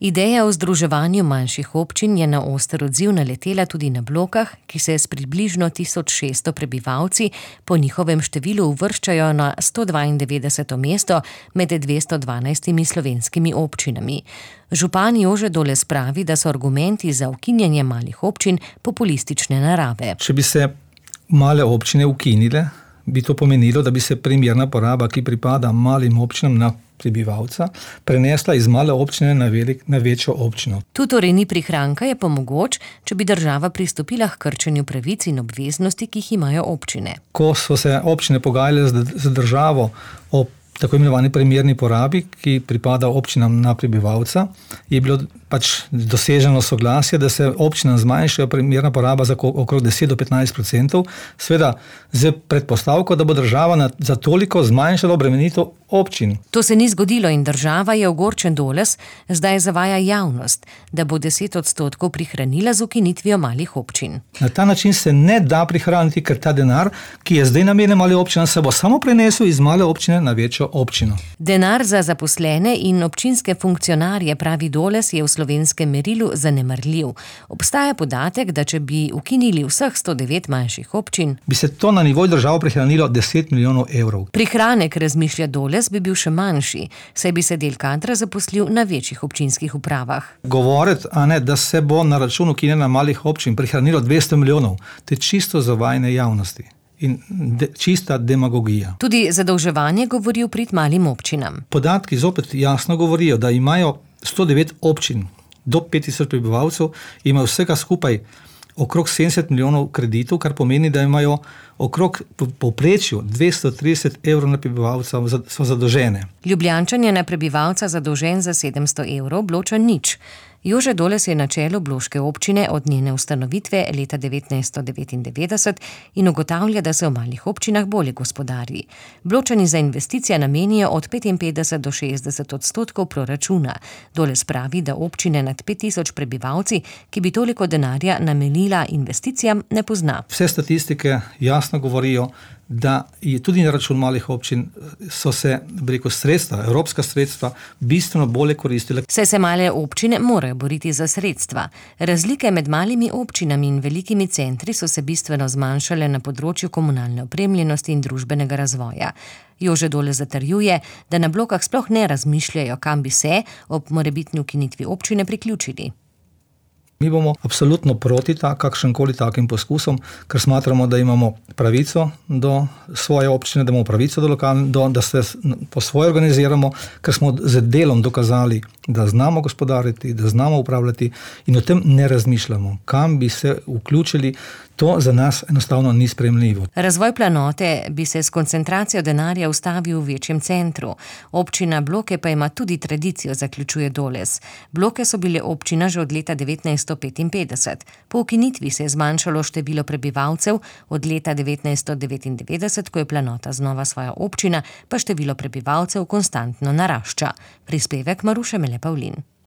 Ideja o združevanju manjših občin je na oster odziv naletela tudi na Blokah, ki se s približno 1600 prebivalci po njihovem številu uvrščajo na 192. mesto med 212 slovenskimi občinami. Župan Jože Doles pravi, da so argumenti za ukinjanje malih občin populistične narave. Če bi se male občine ukinile, bi to pomenilo, da bi se primerna poraba, ki pripada malim občinam na prebivalca, prenesla iz male občine na večjo občino. Tu torej ni prihranka, je pa mogoč, če bi država pristopila h krčenju pravic in obveznosti, ki jih imajo občine. Ko so se občine pogajale z državo o tako imenovani primerni porabi, ki pripada občinam na prebivalca, je bilo doseženo soglasje, da se občinam zmanjšajo primerna poraba za okrog 10 do 15%, seveda z predpostavko, da bo država za toliko zmanjšala obremenitev občin. To se ni zgodilo in država, je ogorčen Doles, zdaj zavaja javnost, da bo 10% prihranila z ukinitvijo malih občin. Na ta način se ne da prihraniti, ker ta denar, ki je zdaj namenjen malim občinam, se bo samo prenesel iz male občine na večjo občino. Denar za zaposlene in občinske funkcionarje, pravi Doles, je v slovenskem merilu zanemarljiv. Obstaja podatek, da če bi ukinili vseh 109 manjših občin, bi se to na nivoju države prihranilo 10 milijonov evrov. Prihranek, razmišlja Doles, bi bil še manjši, saj bi se del kadra zaposlil na večjih občinskih upravah. Govoriti, da se bo na račun ukinjanja malih občin prihranilo 200 milijonov, to je čisto zavajanje javnosti in čista demagogija. Tudi zadolževanje govori v prid malim občinam. Podatki zopet jasno govorijo, da imajo 109 občin do 5000 prebivalcev, imajo vsega skupaj okrog 70 milijonov kreditov, kar pomeni, da imajo okrog povprečju 230 evrov na prebivalca so zadolžene. Ljubljančan je na prebivalca zadolžen za 700 evrov, Bločan nič. Jože Doles je na čelu bloške občine od njene ustanovitve leta 1999 in ugotavlja, da se v malih občinah bolje gospodari. Bločani za investicije namenijo od 55 do 60% proračuna. Doles pravi, da občine nad 5000 prebivalci, ki bi toliko denarja namenila investicijam, ne pozna. Vse statistike jasno govorijo, da je tudi na račun malih občin so se, sredstva, evropska sredstva, bistveno bolje koristile. Saj se male občine morajo boriti za sredstva. Razlike med malimi občinami in velikimi centri so se bistveno zmanjšale na področju komunalne opremljenosti in družbenega razvoja. Jože Doles zatrjuje, da na Blokah sploh ne razmišljajo, kam bi se ob morebitni ukinitvi občine priključili. Mi bomo absolutno proti kakšenkoli takim poskusom, ker smatramo, da imamo pravico do svoje občine, da imamo pravico da se po svoje organiziramo, ker smo z delom dokazali, da znamo gospodariti, da znamo upravljati in o tem ne razmišljamo. Kam bi se vključili, to za nas enostavno ni sprejemljivo. Razvoj planote bi se s koncentracijo denarja ustavil v večjem centru. Občina Bloke pa ima tudi tradicijo, zaključuje Doles. Bloke so bile občina že od leta 1955. Po ukinitvi se je zmanjšalo število prebivalcev, od leta 1999, ko je planota znova svoja občina, pa število prebivalcev konstantno narašča. Prispevek Maruše Mele Pavlin.